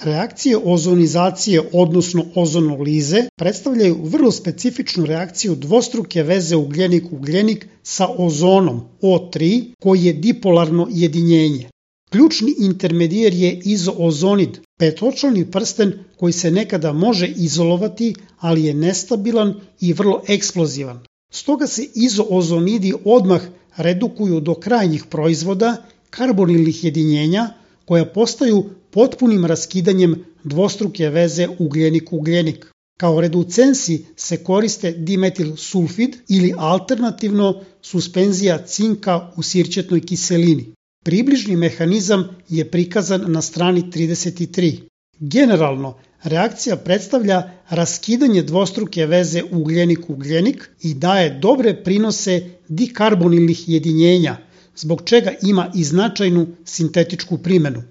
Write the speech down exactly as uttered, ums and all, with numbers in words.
Reakcije ozonizacije, odnosno ozonolize, predstavljaju vrlo specifičnu reakciju dvostruke veze ugljenik-ugljenik sa ozonom O tri, koji je dipolarno jedinjenje. Ključni intermedijer je izoozonid, petočlani prsten koji se nekada može izolovati, ali je nestabilan i vrlo eksplozivan. Stoga se izoozonidi odmah redukuju do krajnjih proizvoda, karbonilnih jedinjenja, koja postaju potpunim raskidanjem dvostruke veze ugljenik-ugljenik. Kao reducensi se koriste dimetil sulfid ili alternativno suspenzija cinka u sirćetnoj kiselini. Približni mehanizam je prikazan na strani trideset tri. Generalno, reakcija predstavlja raskidanje dvostruke veze ugljenik-ugljenik i daje dobre prinose dikarbonilnih jedinjenja, zbog čega ima i značajnu sintetičku primenu.